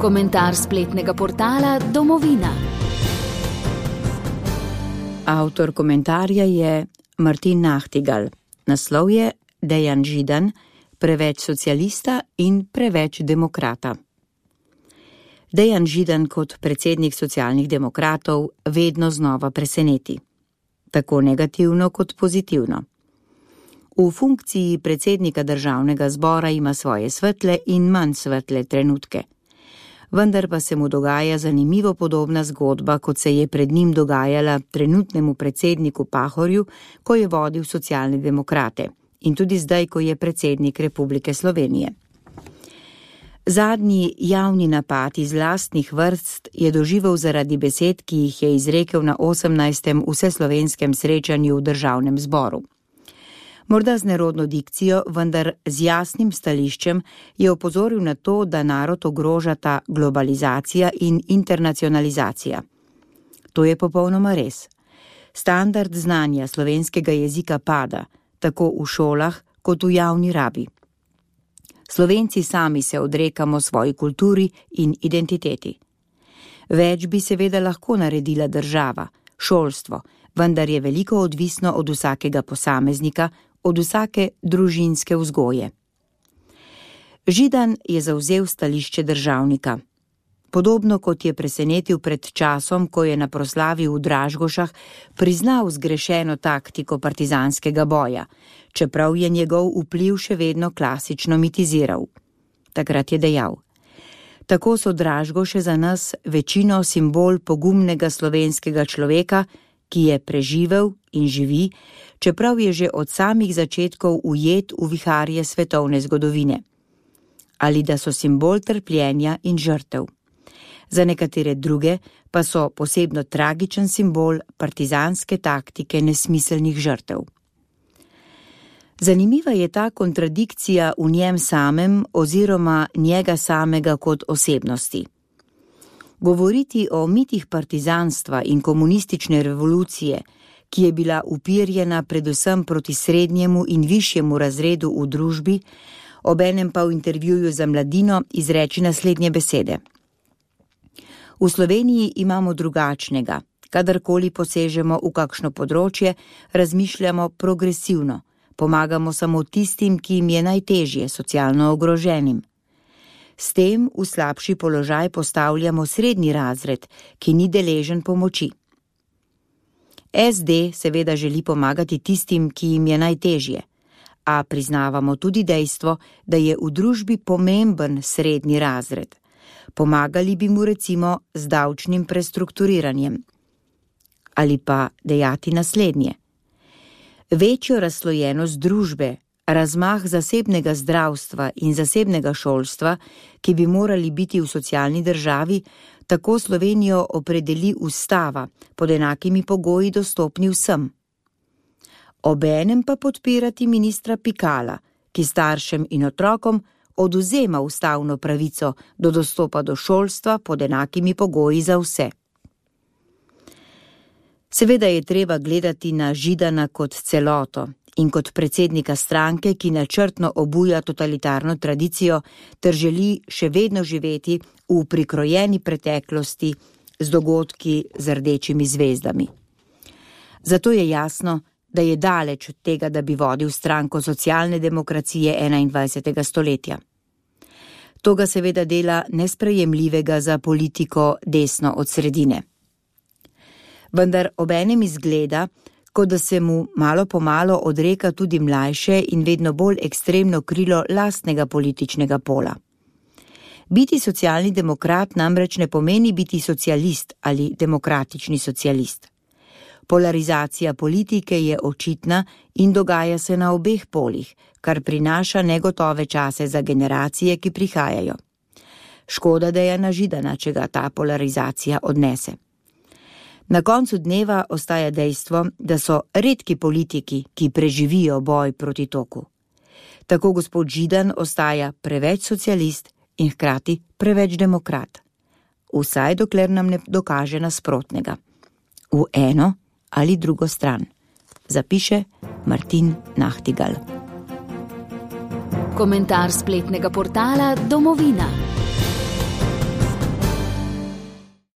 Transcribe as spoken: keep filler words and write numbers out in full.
Komentar spletnega portala Domovina. Avtor komentarja je Martin Nachtigal. Naslov je Dejan Židan, preveč socialista in preveč demokrata. Dejan Židan kot predsednik socialnih demokratov vedno znova preseneti. Tako negativno kot pozitivno. V funkciji predsednika državnega zbora ima svoje svetle in manj svetle trenutke. Vendar pa se mu dogaja zanimivo podobna zgodba, kot se je pred njim dogajala trenutnemu predsedniku Pahorju, ko je vodil socialne demokrate, in tudi zdaj, ko je predsednik Republike Slovenije. Zadnji javni napad iz lastnih vrst je doživel zaradi besed, ki jih je izrekel na osemnajstem vseslovenskem srečanju v državnem zboru. Morda z nerodno dikcijo, vendar z jasnim stališčem je opozoril na to, da narod ogrožata globalizacija in internacionalizacija. To je popolnoma res. Standard znanja slovenskega jezika pada, tako v šolah kot v javni rabi. Slovenci sami se odrekamo svoji kulturi in identiteti. Več bi seveda lahko naredila država, šolstvo, vendar je veliko odvisno od vsakega posameznika, od vsake družinske vzgoje. Židan je zavzel stališče državnika. Podobno kot je presenetil pred časom, ko je na proslavi v Dražgošah priznal zgrešeno taktiko partizanskega boja, čeprav je njegov vpliv še vedno klasično mitiziral. Takrat je dejal: tako so Dražgoše za nas večino simbol pogumnega slovenskega človeka, ki je preživel in živi, čeprav je že od samih začetkov ujet v viharje svetovne zgodovine. Ali da so simbol trpljenja in žrtev. Za nekatere druge pa so posebno tragičen simbol partizanske taktike nesmiselnih žrtev. Zanimiva je ta kontradikcija v njem samem oziroma njega samega kot osebnosti. Govoriti o mitih partizanstva in komunistične revolucije, ki je bila upirjena predvsem proti srednjemu in višjemu razredu v družbi, obenem pa v intervjuju za Mladino izreči naslednje besede. V Sloveniji imamo drugačnega, kadarkoli posežemo v kakšno področje, razmišljamo progresivno, pomagamo samo tistim, ki jim je najtežje, socialno ogroženim. S tem v slabši položaj postavljamo srednji razred, ki ni deležen pomoči. es de seveda želi pomagati tistim, ki jim je najtežje, a priznavamo tudi dejstvo, da je v družbi pomemben srednji razred. Pomagali bi mu recimo z davčnim prestrukturiranjem. Ali pa dejati naslednje. Večjo razslojenost družbe, razmah zasebnega zdravstva in zasebnega šolstva, ki bi morali biti v socialni državi, tako Slovenijo opredeli ustava, pod enakimi pogoji dostopni vsem. Obenem pa podpirati ministra Pikala, ki staršem in otrokom odvzema ustavno pravico do dostopa do šolstva pod enakimi pogoji za vse. Seveda je treba gledati na Židana kot celoto in kot predsednika stranke, ki načrtno obuja totalitarno tradicijo ter želi še vedno živeti v prikrojeni preteklosti z dogodki z rdečimi zvezdami. Zato je jasno, da je daleč od tega, da bi vodil stranko socialne demokracije enaindvajsetega stoletja. To ga seveda dela nesprejemljivega za politiko desno od sredine. Vendar obenem izgleda, kot da se mu malo po malo odreka tudi mlajše in vedno bolj ekstremno krilo lastnega političnega pola. Biti socialni demokrat namreč ne pomeni biti socialist ali demokratični socialist. Polarizacija politike je očitna in dogaja se na obeh polih, kar prinaša negotove čase za generacije, ki prihajajo. Škoda Dejana Židana, če ga ta polarizacija odnese. Na koncu dneva ostaja dejstvo, da so redki politiki, ki preživijo boj proti toku. Tako gospod Židan ostaja preveč socialist in hkrati preveč demokrat. Vsaj dokler nam ne dokaže nasprotnega. V eno ali drugo stran. Zapiše Martin Nachtigal. Komentar spletnega portala Domovina.